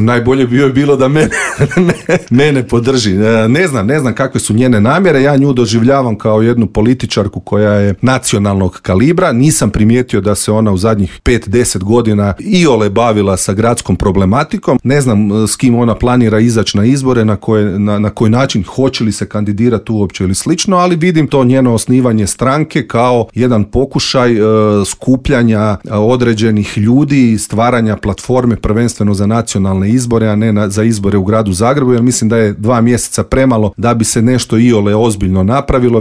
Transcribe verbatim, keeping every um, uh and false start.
Najbolje bi joj bilo da mene, mene podrži. Ne znam, ne znam kakve su njene namjere. Ja nju doživljavam kao jednu političarku koja je nacionalnog kalibra. Nisam primijetio da se ona u zadnjih pet do deset godina iole bavila sa gradskom problematikom. Ne znam s kim ona planira izaći na izbore, na, koje, na, na koji način, hoće li se kandidirati uopće ili slično, ali vidim to njeno osnivanje stranke kao jedan pokušaj e, skupljanja određenih ljudi i stvaranja platforme prvenstveno za nacionalne izbore, a ne na, za izbore u gradu Zagrebu, jer mislim da je dva mjeseca premalo da bi se nešto iole ozbiljno napravilo.